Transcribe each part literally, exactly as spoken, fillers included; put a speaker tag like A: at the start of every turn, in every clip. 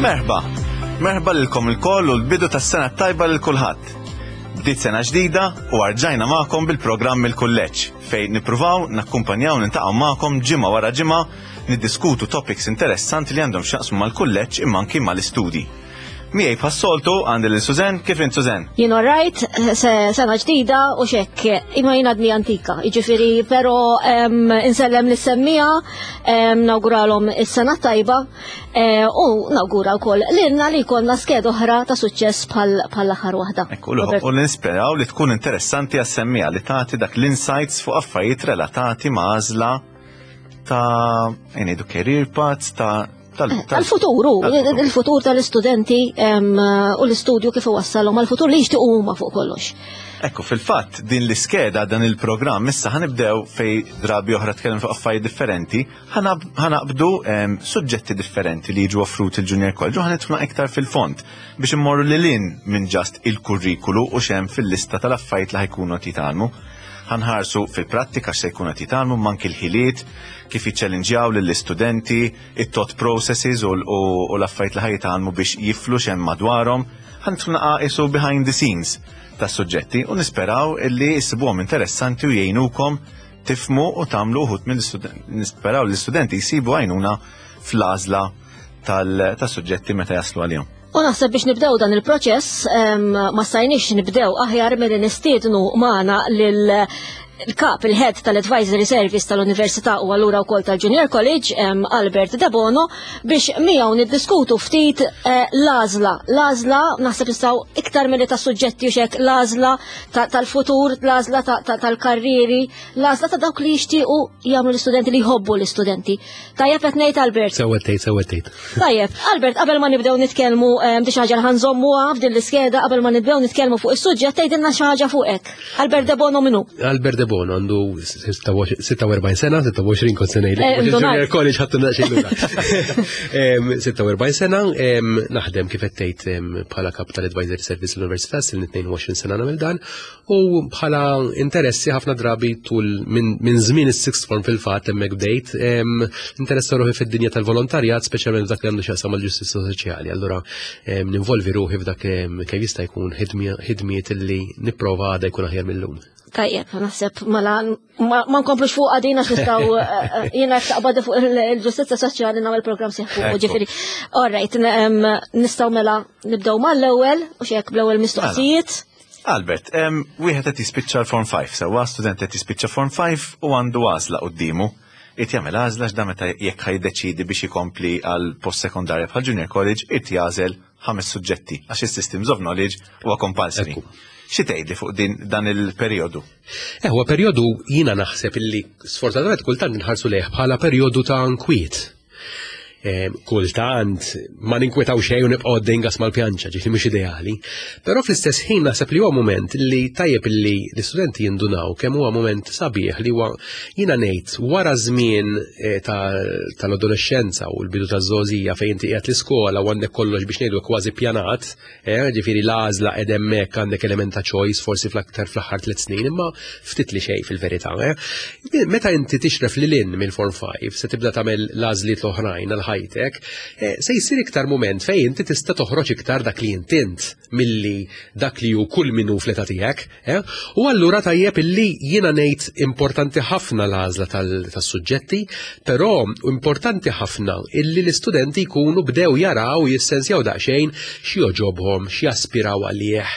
A: Merħba! Merħba lilkom ilkoll u l-bidu tas-sena tajba lil kulħadd. Bdiet sena ġdida u rġajna magħkom bil-programm Il-Kulleġġ, fejn nippruvaw nakkumpanjaw, niltaqgħu magħkom ġimgħa wara ġimgħa, niddiskutu topics interessanti li għandhom x'jaqsmu mal-kulleġġ imma anki mal-istudji. Miegħi bħas-soltu għandi lil Suzen. Kif int, Suzen?
B: Jien alright, sena ġdida u xek, imma jien għadni antika, jiġifieri, pero insellem lis-semmiegħa, nawguralhom is-sena tajba eh, u nawgura wkoll lilna li jkollna skeda oħra ta' suċċess bħall-aħħar waħda.
A: Ekku, u nisperaw li tkun interessanti għas-semmiegħa, li tagħti dak l-insights fuq affarijiet relatati ma' għażla ta' ngħidu career paths ta'
B: tal-futuru, il-futur tal-istudenti u l-istudju kif wassalhom għal-futur li jixtiequ huma fuq kollox.
A: Ekku, fil-fatt, din l-iskeda, dan il-programm, issa ħa nibdew fej drabi oħra tkellem fuq affarijiet differenti, ħa naqbdu suġġetti differenti li jiġu offruti il-Junior College u ħa nidħlu iktar fil-fond biex immorru lil hinn minn just il-kurrikulu u x'hemm fil-lista tal-affarijiet li ħa jkunu jitgħallmu. Ħa nħarsu fil-prattika x'se jkunu qed jitgħallmu, anki l-ħiliet, kif jiċċellinġjaw lill-istudenti, it-thought processes u l-affarijiet li ħa jitgħallmu biex jiflu x'hemm madwarhom. Ħa nidħlu behind the scenes tas-suġġetti u nisperaw illi jsibuhom interessanti u jgħinukom tifhmu u tagħmlu uħut mill-istudenti. Nisperaw l-istudenti jsibu għajnuna fl-għażla tas-suġġetti meta jaslu għalihom.
B: U naħseb biex nibdew dan il-proċess, ma stajniex nibdew aħjar milli nistiednu magħna lil il-kap, il-head tal-Advisory Service tal-Università u allura wkoll tal-Junior College, Albert Debono, biex miegħu niddiskutu ftit eh, l-għażla. L-għażla naħseb nistgħu iktar milli ta' suġġetti u xek, l-għażla tal-futur, l-għażla tal-karriri, l-għażla ta' dawk li jixtiequ jagħmlu l-istudenti, li jħobbu l-istudenti. Tajjeb qed ngħid, Albert?
C: Sewwa tgħid, sewwa tgħid.
B: Tajjeb, Albert, qabel ma nibdew nitkellmu di xi ħaġa li ħa nżommuha f'din l-iskeda, qabel ma nibdew nitkellmu fuq is-suġġett, tgħidilna xi ħaġa fuqek. Albert Debono min hu?
C: Albert Debono għandu sitta u erbgħin sena, sitta u għoxrin kont se ngħidlek.
B: Eh,
C: Junior College ħattu naqxejn lura. sitta u erbgħin sena, naħdem kif qed tgħid bħala kap tal-Advisory Service l-Università, sil tnejn u għoxrin sena nagħmel dan, u bħala interessi ħafna drabi tul minn żmien is-sixth form, fil-fatt hemmhekk bdejt, interessa ruħi fid-dinja tal-volontarjat, speċjalment dak li għandu x'jaqsam mal-ġustizzja soċjali. Allura ninvolvi ruħi f'dak kemm jista' jkun ħidmiet li nipprova għada jkun aħjar mill-lum.
B: Tajjeb, naħseb mela ma nkomplux fuq għadina x'nistgħu, eh, eh, jiena taqbad fuq il-ġustizzja soċjali nagħmel programm sieħ fuq, ġifieri. All right, nistgħu mela nibdew mal-ewwel u xek bl-ewwel mistoqsijiet.
A: Albert, wieħed qed jispiċċa l-Form five, sewwa, student qed jispiċċa Form five u għandu għażla quddiemu. Irid jagħmel għażla x'da meta jekk ħa jiddeċidi biex ikompli għal post sekondarja bħal Junior College, irid jagħżel ħames suġġetti għax is-systems of knowledge huwa compulsory. Xi tgħidli fuq din dan il-perjodu?
C: Eh, huwa perjodu jiena naħseb illi sfortunatament kultant nħarsu lejh bħala perjodu ta' nkwiet. Kultant ma ninkwetaw xejn u nibqgħu għaddejn gas mal-pjanċa, ġifieri mhux ideali. Però fl-istess ħin naħseb li huwa moment li tajjeb li l-istudenti jindunaw kemm huwa moment sabiħ, li huwa, jiena ngħid, wara żmien eh, tal-adolescenza u l-bidu taż-żgħożija fejn inti qiegħed l-iskola u għandek kollox, biex ngħidu, kważi pjanat, eh, ġifieri l-għażla qed hemmhekk, għandek element ta' choice forsi fl-aktar fl-aħħar tliet snin, imma ftit li xejn fil-verità. Eh. Meta inti tixref lil hinn mill-Form five se tibda tagħmel l-għażliet l-oħrajn għal ħajtek, eh, se jsir iktar moment fejn inti tista' toħroġ iktar dak li int int milli dak li hu kull min hu fl-età tiegħek. eh? U allura tajjeb illi jiena ngħid importanti ħafna l-għażla tas-suġġetti, però importanti ħafna illi l-istudenti jkunu bdew jaraw, jissensjaw daqsxejn x'joġobhom, x'jaspiraw għalih,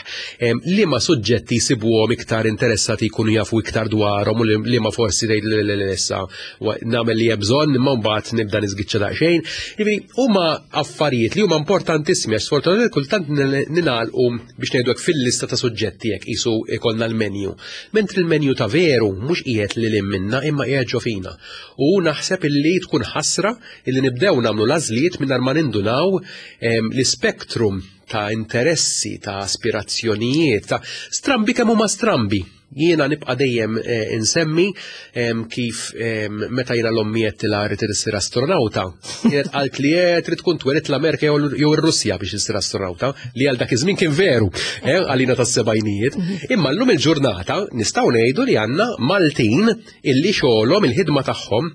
C: liema suġġetti jsibuhom iktar interessati jkunu jafu iktar dwarhom u liema forsi tgħid issa nagħmel li hemm bżonn imma mbagħad nibda niżgiċċa daqsxejn. Jiġifieri huma affarijiet li huma importantissimi għax sfortunatament kultant ningħalqu, biex ngħidu hekk, fil-lista ta' suġġetti, jekk qisu ikollna l-menu. Mentri l-menu ta' veru mhux qiegħed lil minna imma qiegħed ġo fina. U naħseb illi tkun ħasra illi nibdew nagħmlu l-għażliet mingħajr ma nindunaw l-ispektrum ta' interessi, ta' aspirazzjonijiet, ta' strambi kemm huma strambi. Jiena nibqa' dejjem eh, insemmi kif meta jiena 'l ommi għedtilha rrid issir astronauta, kienet qalt li eh, trid tkun twelidt l-Amerika jew ir-Russja biex issir astronauta, li għal dak iż-żmien kien veru, eh, għalina tas-sebgħinijiet. Imma llum il-ġurnata nistgħu ngħidu li għandna Maltin illi xogħolhom, il-ħidma tagħhom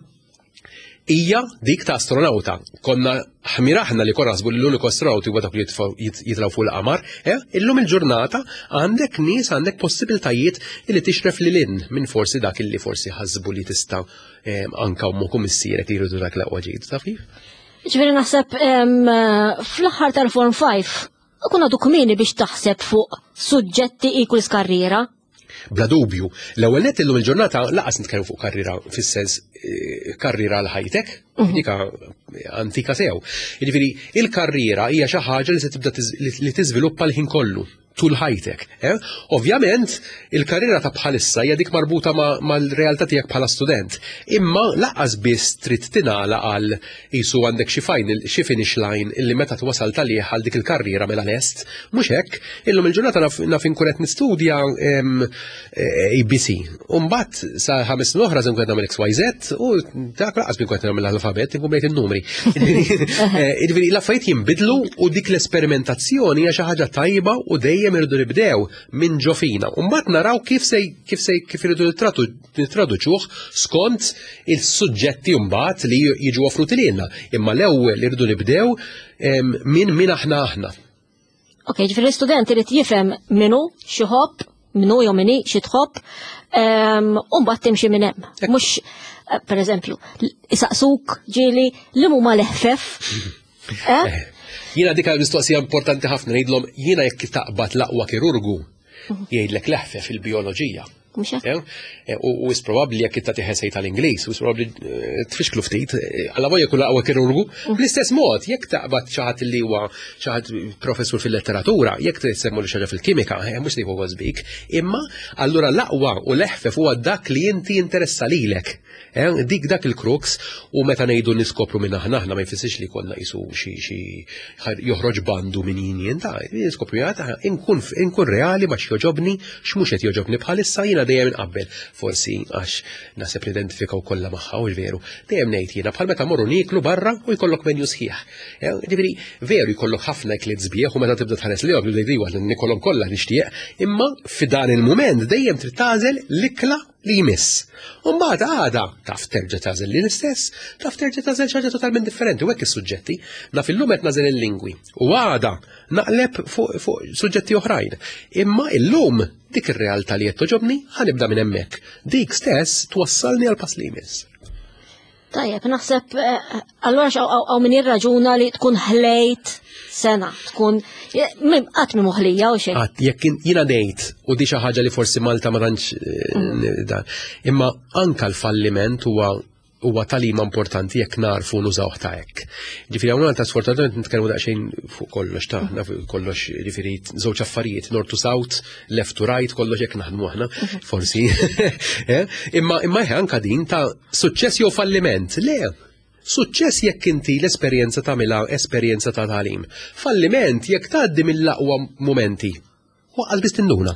C: Hija dik ta' astronauta. Konna ħmir aħna li konna naħsbu li l-uniku astronauti huwa dak li jitilgħu fuq il-qamar. Eh? Illum il-ġurnata għandek nies, għandek possibiltajiet li tixref lil hinn minn forsi dak li forsi ħasbu li tista' anka ommok u missierek li jridu dak l-aqwa ġid, taf kif?
B: Ġifieri naħseb fl-aħħar tal-Form five ikun għadu kmieni biex taħseb fuq suġġetti equals karriera.
C: Bla dubju. L-ewwel nett illum il-ġurnata lanqas nitkellmu fuq karriera fis-sens eh, karriera għal ħajtek, mhm. dika antika sew. Jiġifieri il-karriera hija xi ħaġa li se tibda li tiżviluppa l-ħin kollu tul ħajtek. Eh? Ovvjament, il-karriera ta' bħalissa hija dik marbuta mal-realtà tiegħek bħala student. Imma lanqas biss trid tingħala għal qisu għandek xi final, xi finish line illi meta twasal talih għal dik il-karriera mela lest. Mhux hekk, illum il-ġurnata naf inkun qed nistudja A B C. U mbagħad sa ħames oħra se nkun qed nagħmel X Y Z u dak lanqas nkun qed nagħmel l-alfabet, inkun bejt in-numri. Eh, jiġifieri l-affarijiet jinbidlu u dik l-esperimentazzjoni hija xi ħaġa tajba u dejjem irridu nibdew minn ġo fina. U mbagħad naraw kif se kif se kif irridu nittraduċuh skont il-suġġetti mbagħad li jiġu offruti lilna. Imma l-ewwel irridu nibdew minn min aħna aħna.
B: Ok, ġifieri l-istudent irid jifhem minnu x'iħobb, minnu jew minni xi tħobb, u mbagħad timxi minn hemm. Mhux eh, per eżempju, isaqsuk ġieli li huma l-eħfef.
C: Eh? Jiena dika mistoqsija importanti ħafna ngħidlhom jiena: jekk taqbad l-aqwa kirurgu jgħidlek l-eħfef fil-bioloġija.
B: Mhux hekk?
C: Eh, U u is probabbli jekk inta essay tal-Ingliż, u probabbli eh, tfixklu ftit, eh, alla volja kull aqwa kirurgu. Bl-istess mod, jekk taqbad xi ħadd li huwa xi ħadd professur fil-letteratura, jekk tsemmu li xi ħaġa fil-kimika, eh, mhux li huwa bik, imma allura l-aqwa u l-eħfef huwa dak li inti interessa lilek. Eh, Dik dak il-crux, u meta ngħidu niskopru minn aħna aħna ma jfissirx li konna qisu xi xi joħroġ bandu minn jien jien ta' niskopru jgħid inkun inkun reali ma x'joġobni, x'mhux qed joġobni bħalissa. Jiena dejjem inqabbel, forsi għax naħseb nidentifikaw kollha magħha u veru. Dejjem ngħid jiena bħal meta morru nieklu barra u jkollok menu sħiħ. Eh, Ġifieri veru jkollok ħafna ikliet sbieħ u meta tibda tħares lejhom tibda tgħid nikolhom kollha nixtieq, imma f'dan il-mument dejjem trid tagħżel l-ikla li jmiss. U mbagħad għada taf terġa' tagħżel li l-istess, taf terġa' tagħżel xi ħaġa totalment differenti u hekk is-suġġetti. Naf illum qed nagħżel il-lingwi u għada naqleb fuq fuq suġġetti oħrajn. Imma illum dik ir-realtà li qed toġobni ħa nibda minn hemmhekk. Dik stess twassalni għal pass li jmiss.
B: Tajjeb, naħseb, eh, allura hawn min jirraġuna li tkun ħlejt sena, tkun qatt mi moħlija u xejn.
C: Għat, jekk jiena ngħid, u di xi ħaġa li forsi Malta ma tantx eh, dan, imma anka l-falliment huwa huwa tagħlima importanti jekk narfu nużawh ta' hekk. Ġifieri hawn Malta sfortunatament nitkellmu daqsxejn fuq kollox ta' naf kollox, ġifieri żewġ affarijiet, north to south, left to right, kollox hekk naħdmu aħna, forsi. Eh? Imma imma anka din ta' suċċess jew falliment. Le, suċċess jekk inti l-esperjenza tagħmilha esperjenza ta' tagħlim. Falliment jekk tgħaddi mill-aqwa momenti. Waqqal biss tinduna.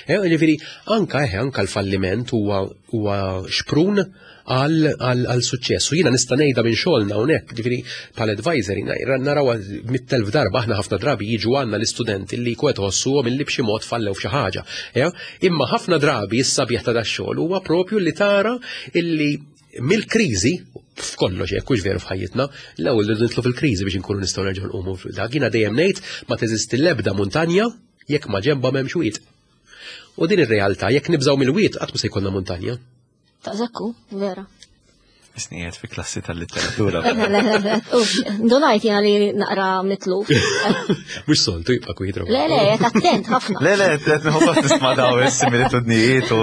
C: Eh, Ġifieri anka eh, anka l-falliment huwa huwa xprun għal għal suċċess. U jiena nista' ngħidha minn xogħolna hawnhekk, ġifieri bħal advisor naraw mitt elf darba aħna, ħafna drabi jiġu għandna l-istudenti li kwet ħossuhom illi b'xi mod fallew f'xi ħaġa. Imma ħafna drabi is-sabiħ ta' dax-xogħol huwa propju li tara illi mill-kriżi, f'kollox hekk hux veru f'ħajjitna, l-ewwel li nidħlu fil-kriżi biex inkunu nistgħu nerġgħu nqumu. Dak jiena dejjem ngħid, ma teżisti l-ebda muntanja jekk ma ġemba m'hemmx wied. U din ir-realtà, jekk nibżgħu mill-wied qatt se jkollna muntanja.
B: Ta' zakku, vera.
A: Isnijiet fi klassi tal-letteratura.
B: Ndunajt jena li naqra mitluf.
C: Mux soltu jibqa' kwietro.
B: Le, le, attent ħafna.
A: Le, le, qed nieħu nisma' daw is-similitudnijiet u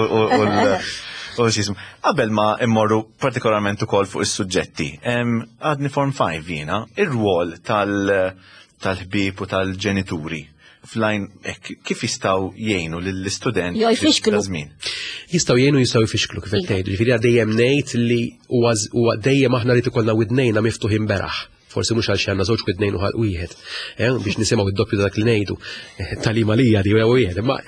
A: u x'jismu. Qabel ma immorru partikolarment ukoll fuq is-suġġetti, għadni Form five jiena, ir-rwol tal-ħbieb u tal-ġenituri flajn kif jistgħu jgħinu lill-istudent
B: Jo jfixklu.
A: Żmien?
C: Jistgħu jgħinu, jistgħu jfixklu, kif qed tgħidu. Ġifieri dejjem ngħid li huwa dejjem aħna li ikollna widnejna miftuħin beraħ. Forsi mhux għal xi għandna żewġ widnejn u ħalq wieħed, eh, biex nisimgħu id-doppju dak li ngħidu. Eh, Talima lija di wieħed, imma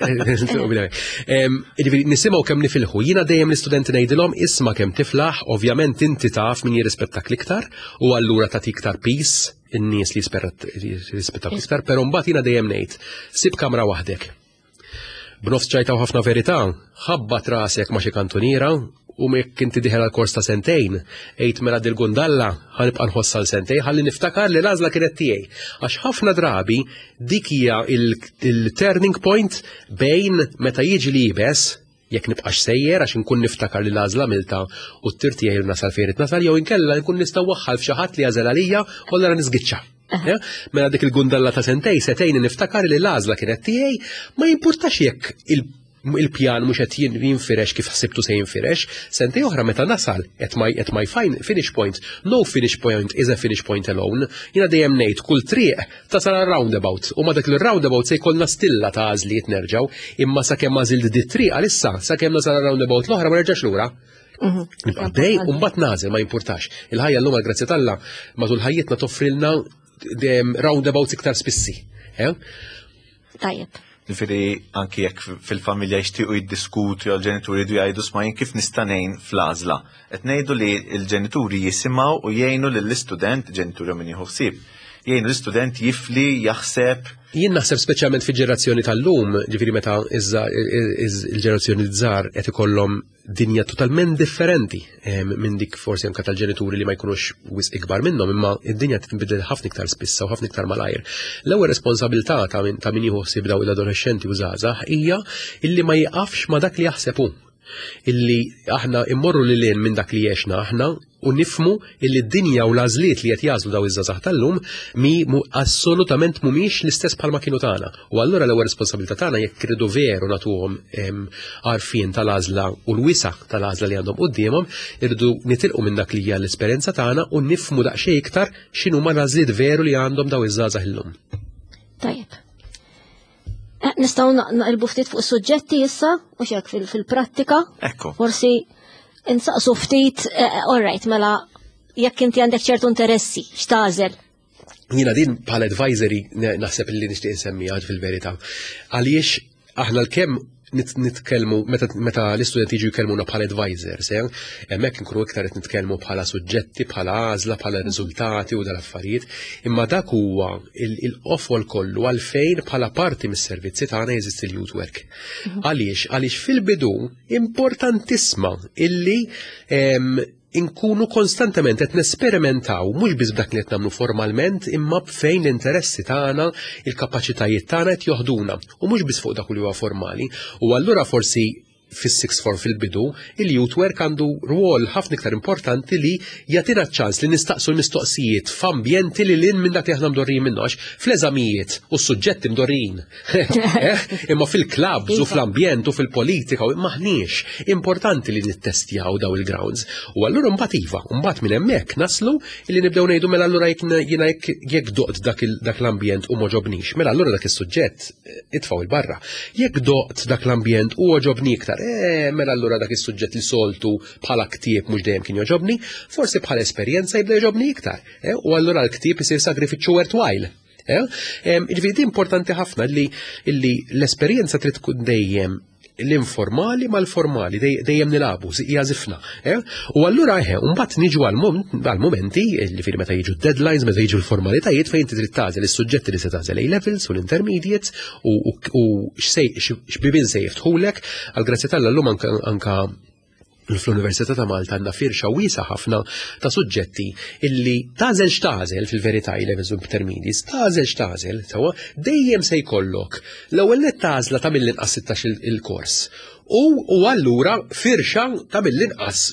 C: ġifieri nisimgħu kemm nifilħu. Jiena dejjem l-istudenti ngħidilhom isma' kemm tiflaħ, ovvjament inti taf min jirrispettak l-iktar u allura tagħti iktar peace in-nies li jirrispettak iktar, però mbagħad jiena dejjem ngħid, sib kamra waħdek. B'nofs ċajta u ħafna verità, ħabbat rasek ma' xi kantuniera u jekk inti dieħel għal kors ta' sentejn, għid mela dil-gundalla ħa nibqa' nħossha għal sentejn, ħalli niftakar li l-għażla kienet tiegħi. Għax ħafna drabi dik hija il-turning point bejn meta jiġi li jibes, jekk nibqax sejjer għax inkun niftakar li l-għażla għamiltha u t-tir tiegħi nasal fejn nasal, jew inkella nkun nista' waħħal f'xi ħadd li għażel għalija u allura niżgiċċa. Mela dik il-gundalla ta' sentejn setejn niftakar li l-għażla kienet tiegħi, ma jimpurtax jekk il- il-pjan mhux qed jinfirex kif ħsibtu se jinfirex, sentejn oħra meta nasal at my, at my fine finish point, no finish point is a finish point alone. Jiena dejjem ngħid kull triq tasal għal roundabout u ma dak il-roundabout se jkollna stilla ta' għażliet nerġgħu, imma sakemm għażilt di triq għalissa, sakemm nasal għal roundabout l-oħra ma nerġax lura. Nibqa' dej u mbagħad nagħżel, ma jimpurtax. Il-ħajja llum, għal-grazzja t'Alla, matul ħajjitna toffrilna roundabouts iktar spissi. Eh?
B: Tajjeb.
A: Ġifieri anki jekk fil-familja jixtiequ jiddiskutu jew l-ġenituri jridu jgħidu, "Isma', jien kif nista' ngħin fl-għażla?" Qed ngħidu li l-ġenituri jisimgħu u jgħinu lill-istudent, ġenituri u min jieħu ħsieb, jgħinu l-istudent jifli, jaħseb.
C: Jien naħseb speċjalment fil-ġenerazzjoni tal-lum, ġifieri meta iżda il-ġenerazzjoni żgħar qed ikollhom dinja totalment differenti minn dik forsi anka tal-ġenituri li ma jkunux wisq ikbar minnhom, imma id-dinja tinbidel ħafna iktar spissa u ħafna iktar malajr. L-ewwel responsabilità ta' min ta' min jieħu ħsieb daw l-adolescenti u żgħażagħ hija illi ma jiqafx ma dak li jaħseb hu. Illi aħna immorru lil hinn minn dak li għexna aħna u nifhmu illi d-dinja u l-għażliet li qed jagħżlu daw iż-żgħażagħ tal-lum mi mu assolutament mhumiex l-istess bħalma kienu tagħna. U allura l-ewwel responsabilità tagħna, jekk irridu veru nagħtuhom għarfien tal-għażla u l-wisa tal-għażla li għandhom quddiemhom, irridu nitilqu minn dak li hija l-esperjenza tagħna u nifhmu daqsxejn iktar x'inhuma l-għażliet veru li għandhom daw iż-żgħażagħ illum.
B: Tajjeb. Eh, Nistgħu naqilbu ftit fuq suġġetti issa, u xek fil-prattika.
A: Ekku.
B: Forsi insaqsu ftit, eh, all right, mela jekk inti għandek ċertu interessi, x'tagħżel?
C: Jiena din bħala advisory naħseb li nixtieq insemmiha fil-verità. Għaliex aħna l-kemm nitkellmu meta l-istudenti jiġu jkellmuna bħala advisors, eh? Hemmhekk nkunu iktar qed nitkellmu bħala suġġetti, bħala għażla, bħala riżultati u dal-affarijiet, imma dak huwa il-qofol kollu għalfejn bħala parti mis-servizzi tagħna jeżisti l-youth work. Għaliex? Għaliex fil-bidu importantissima illi inkunu konstantement qed nesperimentaw mhux biss b'dak li qed nagħmlu formalment, imma b'fejn l-interessi tagħna, il-kapaċitajiet tagħna qed joħduna u mhux biss fuq dak li huwa formali. U allura forsi fis-sixth form fil-bidu, il-youth work għandu rwol ħafna iktar importanti li jagħtina ċans li nistaqsu l-mistoqsijiet f'ambjenti lil hinn minn dak li aħna mdorrijin minnu, għax fl-eżamijiet u s-suġġetti mdorrijin. Eh? Imma fil-clubs u fl-ambjent u fil-politika u maħniex importanti li nittestjaw daw il-grounds. U allura mbagħad iva, mbagħad minn hemmhekk naslu li nibdew ngħidu, mela allura jekk jiena jekk doqt dak l-ambjent u m'għoġobnix, mela allura dak is-suġġett eh, itfgħu 'il barra. Jekk doqt dak l-ambjent u għoġobni iktar, eh, mela allura dak is-suġġett li soltu bħala ktieb mhux dejjem kien jogħġobni, forsi bħala esperjenza jibda jogħġobni iktar. Eh, u allura l-ktieb isir sagrifiċċju worthwhile. Eh, Ġifieri importanti ħafna li l-esperjenza trid tkun dejjem l-informali mal-formali, dejjem nilagħbu, hija żifna. Eh? U allura eħe, mbagħad niġu għal-momenti, li meta jiġu deadlines, meta jiġu l-formalitajiet fejn trid tagħżel is-suġġetti li se tagħżel A-levels u l-intermediates u x'bibien se jiftħulek, għal-grazzja t'Alla llum anka fl-Università ta' Malta għandna firxa wiesgħa ħafna ta' suġġetti illi tagħżel x'tagħżel fil-verità, levels u intermediates, tagħżel x'tagħżel, sewwa, dejjem se jkollok l-ewwel nett għażla ta' mill-inqas sittax il-kors. U, u allura firxa ta' mill-inqas,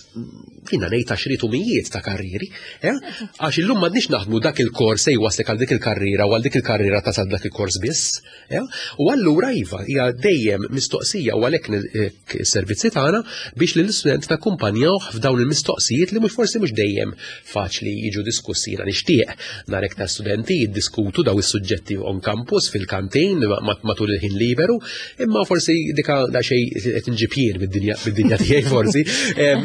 C: jiena ngħid, għaxriet u mijiet ta' karriri, eh? Għax illum m'għadniex naħdmu dak il-kors se jwaslek għal dik il-karriera u għal dik il-karriera tasal dak il-kors biss. Eh? U allura iva, hija dejjem mistoqsija u għalhekk is-servizzi tagħna biex lill-istudent nakkumpanjawh f'dawn il-mistoqsijiet li mhux forsi mhux dejjem faċli jiġu diskussi. Jiena nixtieq narek ta' studenti jiddiskutu daw is-suġġetti on campus, fil-kantin, matul il-ħin liberu, imma forsi dika da xejn qed inġib jien bid-dinja tiegħi forsi.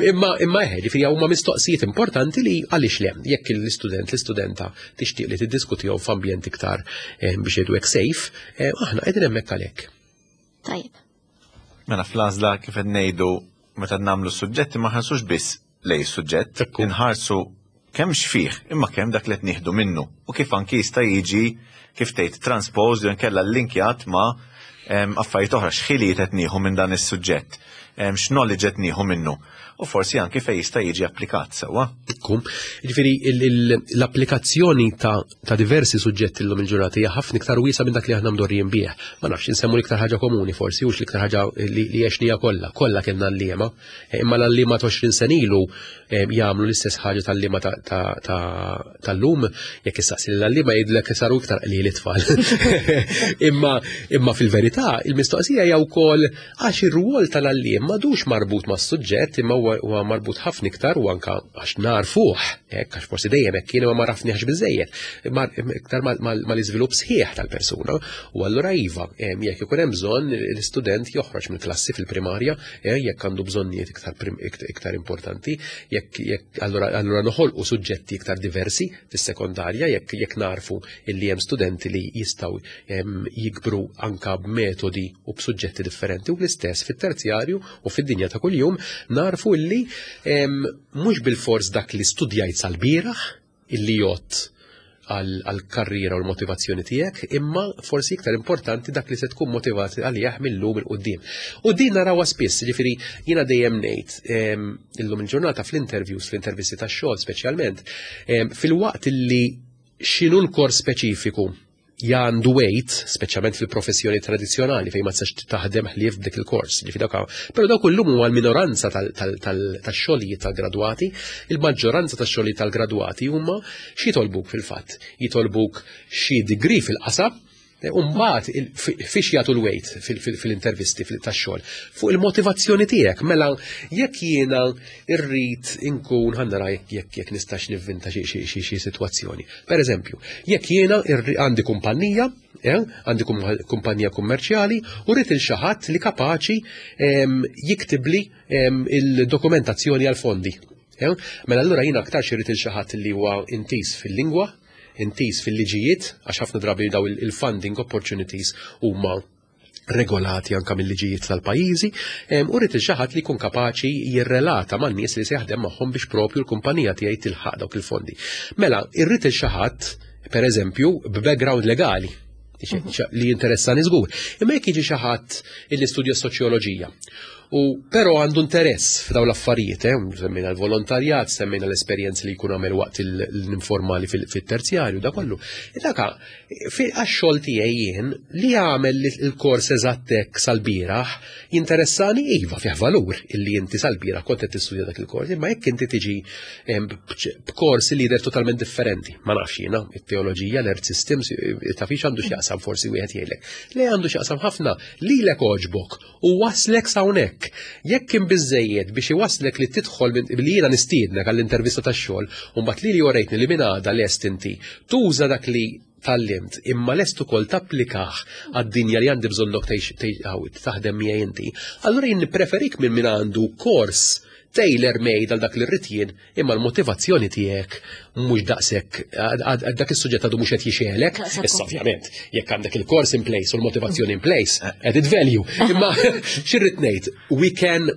C: Imma imma eħe, ġifieri huma mistoqsijiet importanti li għaliex le, jekk l-istudent, l-istudenta tixtieq li tiddiskutihom f'ambjent iktar, biex jgħidu hekk, safe, aħna qegħdin hemmhekk għalhekk.
B: Tajjeb.
A: Mela fl-għażla, kif qed ngħidu, meta nagħmlu suġġetti ma nħarsux biss lej suġġett, inħarsu kemm x'fih imma kemm dak li qed nieħdu minnu u kif anki jista' jiġi, kif tgħid, transposed jew inkella linkjat ma' Affarijiet oħra, x'ħiliet qed nieħu minn dan is-suġġett, x'knowledge qed nieħu minnu u forsi anki fejn jista' jiġi applikat sewwa.
C: Ekku. Jiġifieri l-applikazzjoni ta', ta diversi suġġetti llum il-ġurnata hija ħafna iktar wiesa minn dak li aħna mdorrijin bih. Ma nafx, insemmu l-iktar ħaġa komuni forsi, hux l-iktar ħaġa li, li għexnieha kollha, kollha kellna għalliema. Imma l-għalliema ta' għoxrin sena ilu jagħmlu l-istess ħaġa tal-għalliema tal-lum, jekk issaqsi l-għalliema jgħidlek saru iktar qliel it-tfal. Imma imma fil-verità il-mistoqsija hija wkoll għax ir-rwol tal-għalliem m'għadux marbut mas-suġġett, imma huwa marbut ħafna iktar, u anka għax narfuh, hekk, għax forsi dejjem hekk kien imma ma għarafniex biżejjed, iktar mal-iżvilupp sħiħ tal-persuna. U allura iva, jekk ikun hemm bżonn, l-istudent joħroġ mill-klassi fil-primarja, jekk għandu bżonnijiet iktar iktar importanti, jekk jekk allura allura noħolqu suġġetti iktar diversi fis-sekondarja, jekk jekk narfu illi hemm studenti li jistgħu jikbru anka b'metodi u b'suġġetti differenti, u l-istess fit-terzjarju u fid-dinja ta' kuljum narfu illi mhux bil-fors dak li studjajt sal-bieraħ illi jgħodd għal-karriera u l-motivazzjoni tiegħek, imma forsi iktar importanti dak li se tkun motivat għalih mill-lum 'il quddiem. U din narawha spiss, ġifieri jiena dejjem ngħid illum il-ġurnata fl-interviews, fl-intervisti tax-xogħol speċjalment, filwaqt illi x'inhu l-kors speċifiku għandu weight, speċjalment fil-professjoni tradizjonali fejn ma tistax taħdem ħlief b'dik il-kors. Ġifieri dawk, però dawk illum huwa l-minoranza tax-xogħlijiet tal-gradwati, il-maġġoranza tax-xogħlijiet tal-gradwati huma xi jitolbuk fil-fatt? Jitolbuk xi degree fil-qasam. Umbagħad, fiex jagħtu l-weight fil-intervisti tax-xogħol? Fuq il-motivazzjoni tiegħek. Mela jekk jiena irrid inkun, ħa nara jekk jekk nistax nivvinta xi sitwazzjoni. Per eżempju, jekk jiena għandi kumpanija, eh, għandi kumpanija kummerċjali u rrid lil xi ħadd li kapaċi jiktibli il-dokumentazzjoni għal-fondi. Eh, mela allura jiena aktar irrid lil xi ħadd li huwa intiż fil-lingwa, intiż fil-liġijiet, għax ħafna drabi daw il-funding opportunities huma regolati anka mill-liġijiet tal-pajjiżi, u rrid xi ħadd li jkun kapaċi jirrelata man-nies li se jaħdem magħhom biex propju l-kumpanija tiegħi tilħaq dawk il-fondi. Mela, irrid xi ħadd, pereżempju, b'background legali li jinteressani żgur. Imma jekk jiġi xi ħadd illi studja soċjoloġija u però għandu interess f'daw l-affarijiet, eh, semmejna l-volontarjat, semmejna l-esperjenzi li jkun għamel waqt l-informali fil-terzjarju, da kollu. Daka, għax-xogħol tiegħi jien li għamel il-kors eżattek sal-bieraħ jinteressani, iva, fih valur illi inti sal-bieraħ kont qed tistudja dak il-kors, imma jekk inti tiġi b'kors li jidher totalment differenti, ma nafx jiena, it-teoloġija, l-earth systems, ta' fiex għandu x'jaqsam, forsi wieħed jgħidlek. Le, għandu x'jaqsam ħafna, lilek għoġbok u waslek s'hawnhekk. Jekk kien biżejjed biex iwaslek li tidħol li jiena nistiednek għall-intervista tax-xogħol, u mbagħad li li urejtni li minn għada lest inti tuża dak li tgħallimt, imma lest ukoll tapplikah għad-dinja li għandi bżonnok taħdem miegħi inti, allura jien nippreferik minn min għandu kors tailor made għal dak li rrid jien, imma l-motivazzjoni tiegħek mhux daqshekk, dak is-suġġett għadu mhux qed jixegħlek. Issa ovvjament, jekk għandek il-course in place u l-motivazzjoni in place, added value. Imma x'irrid ngħid, we can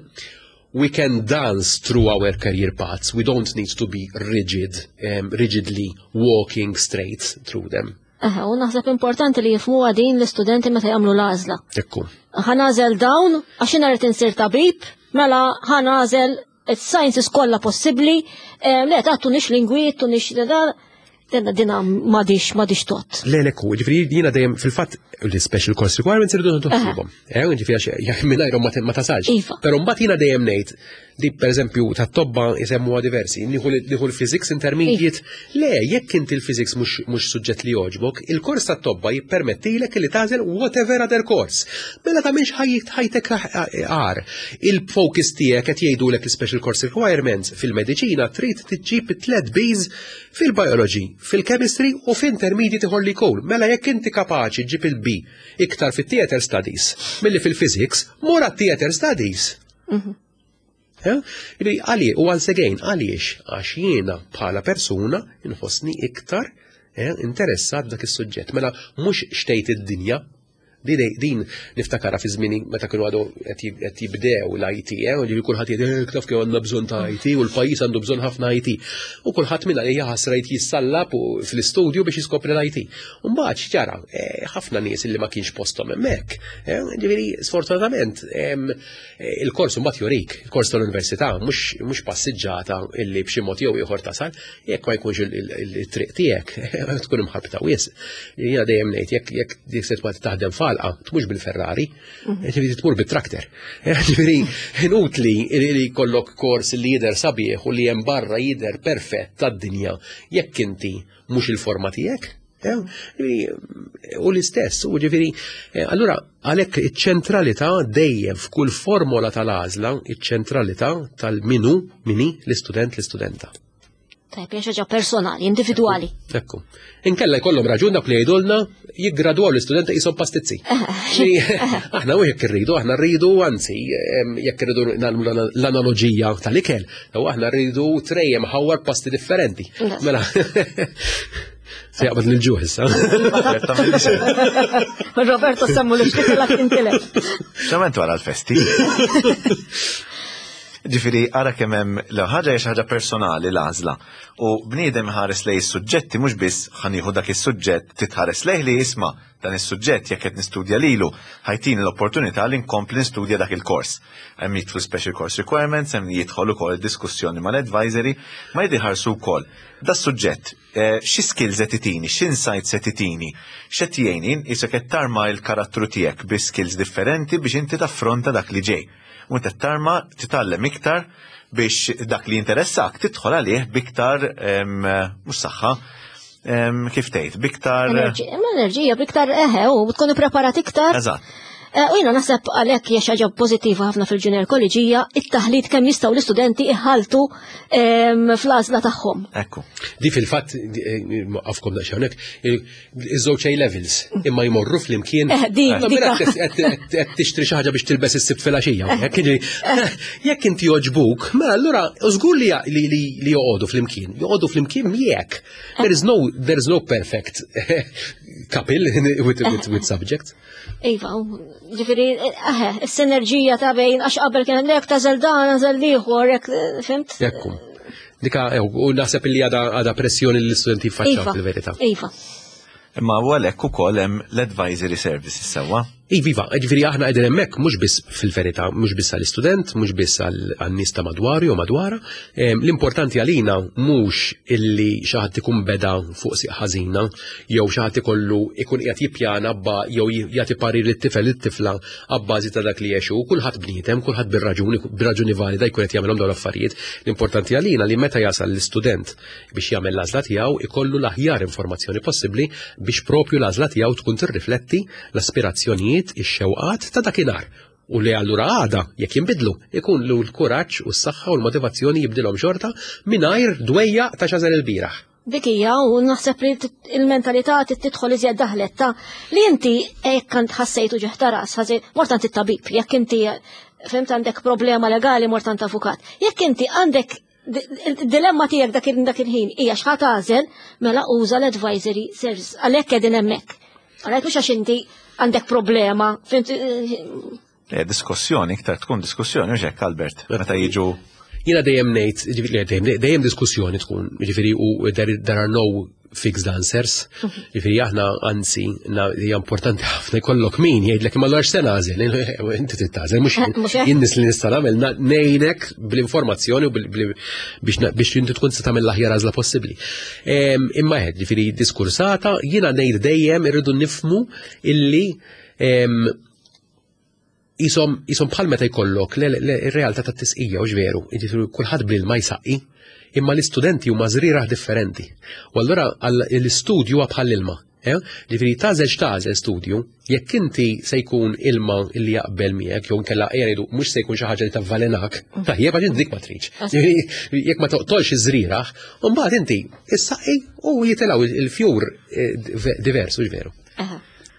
C: we can dance through our career paths. We don't need to be rigid, um, rigidly walking straight through them.
B: Aha, u naħseb importanti li jifhmu din l-istudenti meta jagħmlu l-għażla.
C: Ekku.
B: Ħa nagħżel dawn għax jiena rrid insir tabib, mela ħa nagħżel il-sciences kollha possibbli, eh, le tagħtunix lingwi, tunix da, dina dina m'għadhiex m'għadhiex tgħodd.
C: Le, le, ku, ġifieri jiena dejjem fil-fatt l-special course requirements irridu nħossibhom. Eh, ġifieri għax mingħajrhom ma ma tasalx.
B: Iva.
C: Però mbagħad jiena dejjem ngħid di, pereżempju, tat-tobba jsemmuha diversi, nieħu nieħu l-physics intermediate. Le, jekk inti l-physics mhux mhux suġġett li jogħġbok, il-kors tat-tobba jippermettilek li tagħżel whatever other course. Mela tagħmilx ħajtek għar. Il-focus tiegħek qed jgħidulek l-special course requirements fil-mediċina trid tiġġib tliet Bs fil-biology, fil-chemistry u fil-intermediate ieħor li jkun. Mela jekk inti kapaċi ġib il-B iktar fit-theater studies milli fil-physics, mur theater studies. Ġifieri, għali, u once again, għaliex? Għax jiena bħala persuna inħossni iktar eh, interessat dak is-suġġett. Mela mhux x'tgħid id-dinja Din din niftakarha fi żmieni meta kienu għadu qed jibdew l-I T, eh, u ġifieri kulħadd jgħid, "Eh, taf kemm għandna bżonn ta' I T u l-pajjiż għandu bżonn ħafna I T" U kulħadd minna hija ħasra jissallab fl-istudju biex jiskopri l-I T. U mbagħad x'ġara? Eh, ħafna nies li ma kienx posthom hemmhekk. Eh, ġifieri sfortunatament il-kors mbagħad jurik, il-kors tal-università mhux passiġġata illi b'xi mod jew ieħor tasal, jekk ma jkunx il-triq tiegħek tkun imħarbta wisq. Jiena dejjem ngħid, jekk jekk dik se taħdem f'għalqa, tmurx bil-Ferrari, mhm. ġifieri tmur bit-traktor. Ġifieri inutli li jkollok kors li jidher sabiħ u li hemm barra jidher perfett tad-dinja jekk inti mhux il-forma tiegħek. U l-istess, u ġifieri, eh, allura għalhekk iċ-ċentralità dejjem f'kull formola tal-għażla, iċ-ċentralità tal-minu, mini, l-istudent, l-istudenta.
B: Tajb, hija ħaġa personali, individwali.
C: Ekku. Inkella jkollhom raġun dak li jgħidulna jiggradwaw l-istudenti qishom pastizzi. Aħna u jekk irridu, aħna rridu, anzi, jekk irridu nagħmlu l-analoġija tal-ikel, u aħna rridu tray imħawwar pasti differenti. Mela. Se jaqbad l-ġuħ issa.
B: Roberto semmu li xtikla tintilef.
A: Xament wara l-festi. Ġifieri, ara kemm hemm l ħaġa hija xi ħaġa personali l-għażla. U bniedem ħares lej is-suġġetti, mhux biss ħa nieħu dak is-suġġett, titħares lejh li jisma' dan is-suġġett, jekk qed nistudja lilu, ħa jtini l-opportunità li nkompli nistudja dak il-kors. Hemm jidħlu special course requirements, hemm jidħol ukoll diskussjoni mal-advisory, ma jidħarsu wkoll. Da suġġett, eh, xi skills qed itini, x'insights qed itini, x'qed jgħinni, isek qed tarma l-karattru tiegħek bi skills differenti biex inti taffronta dak li ġej. U inti tarma titgħallem iktar biex dak li jinteressak tidħol għalih biktar, mhux saħħa, kif tgħid, biktar
B: Enerġija, biktar eħe, u tkun ippreparat iktar.
A: Eżatt.
B: Eh, u jiena naħseb għalhekk hija xi ħaġa pożittiva ħafna fil-Junior College hija it-taħlit, kemm jistgħu l-istudenti iħaltu fl-għażla tagħhom.
A: Ekku.
C: Di fil-fatt, għafkom daqsxejn hawnhekk, iż-żewġ A levels imma jmorru flimkien.
B: Eh, di,
C: qed tixtri xi ħaġa biex tilbes is-Sibt filgħaxija. Jekk inti joġbuk, mela allura żgur li li joqogħdu flimkien. Joqogħdu flimkien miegħek. There is no there is no perfect couple with, with, with subjects.
B: Iva, ġifieri, eħe, s-sinerġija ta' bejn, għax qabel kien lek tagħżel dan, tagħżel l-ieħor, fimt?
C: Ekku. Dika, u naħseb li għada għada pressjoni l-istudenti jiffaċċjaw fil-verità.
B: Iva.
A: Imma u għalhekk ukoll hemm l-advisory services, sewwa.
C: Iva, ġifieri aħna qegħdin hemmhekk mhux biss fil-verità, mhux biss għall-istudent, mhux biss għan-nies ta' madwaru jew madwara. L-importanti għalina mhux illi xi ħadd ikun beda fuq siq ħażina jew xi ħadd ikollu ikun qiegħed jippjana ba jew jagħti parir lit-tifel, it-tifla abbażi ta' dak li jgħixu. Kulħadd bniedem, kulħadd bir-raġuni, bir-raġuni valida jkun qed jagħmelhom dawn l-affarijiet. L-importanti għalina li meta jasal l-istudent biex jagħmel l-għażla tiegħu ikollu l-aħjar informazzjoni possibbli biex propju l-għażla tiegħu tkun tirrifletti l-aspirazzjonijiet, ix-xewqat ta' dakinhar. U li allura għada, jekk jinbidlu, ikun lu l-kuraġġ u s-saħħa u l-motivazzjoni jibdilhom xorta mingħajr dwejja ta' x'għażel il-bieraħ.
B: Dik hija, u naħseb li il-mentalità tidħol iżjed daħlet ta' li inti hekk kant ħassejtu ġeħ ta' ras, mort għand it-tabib, jekk inti fimt għandek problema legali mort għand avukat. Jekk inti għandek dilemma tiegħek dak dak il-ħin hija x'ħa tagħżel, mela uża l-advisory service. Għalhekk qegħdin hemmhekk. Għalhekk mhux għax inti għandek problema, fimt?
A: Eh, diskussjoni, iktar tkun diskussjoni, mhux hekk, Albert, meta jiġu?
C: Jiena dejjem ngħid, ġifieri dejjem diskussjoni tkun, ġifieri u there, there are no fixed answers. Ġifieri aħna anzi hija importanti ħafna jkollok min jgħidlek, "Imma allura x'se nagħżel?" Inti trid tagħżel, mhux jien. Nies li nista' nagħmel ngħinek bl-informazzjoni u biex biex inti tkun tista' tagħmel l-aħjar għażla possibbli. Imma qed ġifieri diskursata, jiena ngħid dejjem irridu nifhmu illi jisom jisom bħal meta jkollok ir-realtà tat-tisqija, u veru, jiġifieri kulħadd bl-ilma jsaqqi, imma l-istudenti huma żrieragħ differenti. U allura l-istudju huwa bħal ilma. Eh? Ġifieri tagħżel x'tagħżel studju, jekk inti se jkun ilma illi jaqbel miegħek jew inkella qiegħdu mhux se jkun xi ħaġa li tavvalenak, tajjeb, għax dik ma tridx. Ġifieri jekk ma toqtolx iż-żrieragħ, u mbagħad inti issaqqi u jitilgħu il-fjur eh, divers, u veru.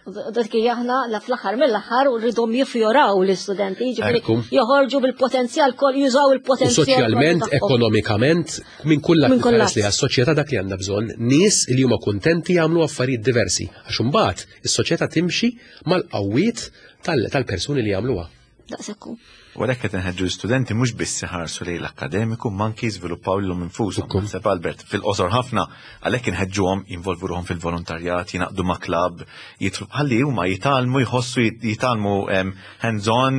B: Dak aħna la fl-aħħar mill-aħħar u rridhom jifjoraw l-istudenti, jiġifieri joħorġu bil-potenzjal kol jużaw il-potenzjal.
C: Soċjalment, ekonomikament, minn kull lat li għas-soċjetà dak li għandna bżonn, nies li huma kuntenti jagħmlu affarijiet diversi. Għax imbagħad is-soċjetà timxi mal-qawwiet tal-persuni li jagħmluha.
B: Daqshekk.
A: U għalhekk qed inħeġġu l-istudenti mhux biss iħarsu lejn l-akkademiku ma anki jiżviluppaw lilhom infushom. Naħseb Albert fil-qosor ħafna għalhekk inħeġġuhom jinvolvu ruħhom fil-volontarjat, jingħaqdu ma' klabb, jitlu ħalli huma jitgħallmu jħossu jitgħallmu hands-on,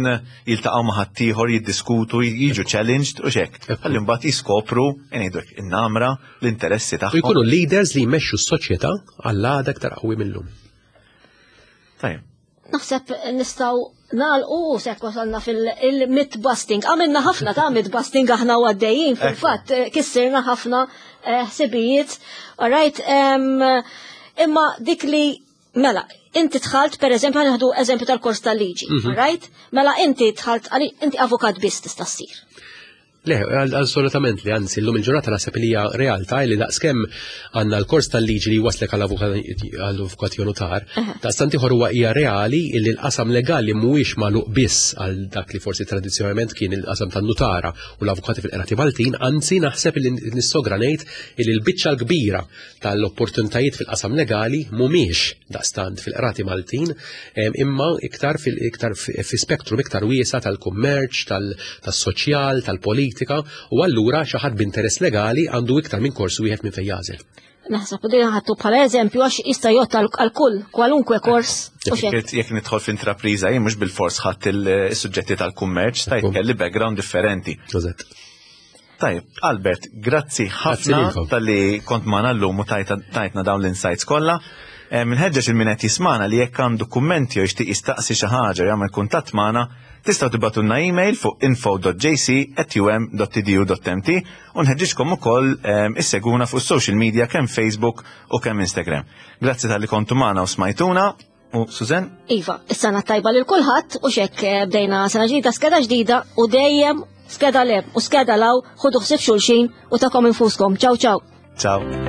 A: jiltaqgħu ma' ħaddieħor, jiddiskutu, jiġu challenged u xek. Ħalli mbagħad jiskopru ngħidu hekk in-namra, l-interessi tagħhom.
C: U jkunu leaders li jmexxu s-soċjetà għall-għada aktar qawwi mill-lum.
A: Tajjeb.
B: Naħseb nistgħu nagħlqu sekk wasalna fil-myth busting. Għamilna ħafna ta' myth busting aħna u għaddejjin fil-fatt kissirna ħafna ħsibijiet. All right, imma dik li mela, inti dħalt per eżempju ħa nieħdu eżempju tal-kors tal-liġi, all right? Mela inti dħalt inti avukat biss tista' ssir.
C: Le, assolutament li, anzi, l-lum il-ġurnata naħseb li hija realtà li daqskemm għandna l-kors tal-liġi li waslek għall-avukat jew notar, daqstant ieħor huwa hija reali li l-qasam legali mhuwiex magħluq biss għal dak li forsi tradizzjonalment kien il-qasam tan-nutara u l-avukati fil-qrati Maltin, anzi naħseb li nissogra ngħid li l-biċċa l-kbira tal-opportunitajiet fil-qasam legali mhumiex daqstant fil-qrati Maltin, imma iktar fil-iktar fi spektrum iktar wiesa' tal-kummerċ, tas-soċjal, tal-politika, u allura xi ħadd b'interess legali għandu iktar minn kors wieħed minn fejn jagħżel.
B: Naħseb u din ħadtu bħala eżempju għax jista' jgħodd għal kull kwalunkwe kors.
A: Jekk nidħol f'intrapriża jien mhux bil-fors ħadd il-suġġetti tal-kummerċ, tajt kelli background differenti. Tajjeb, Albert, grazzi ħafna talli kont magħna llum u tajtna dawn l-insights kollha. Minħeġġeġ il-min qed jismana li jekk għandu kummenti jew jixtieq jistaqsi xi ħaġa jagħmel kuntatt magħna, tistgħu tibagħtulna email fuq info dot J C at U M dot E D U dot M T u nħeġġiġkom ukoll isseguna fuq social media kemm Facebook u kemm Instagram. Grazzi talli kontu magħna u smajtuna. U Susan?
B: Iva, is-sena tajba lil kulħadd u xek bdejna sena ġdida, skeda ġdida u dejjem skeda leb u skeda law, ħudu ħsieb xulxin u tagħkom infuskom. Ciao, ciao.
A: Ciao.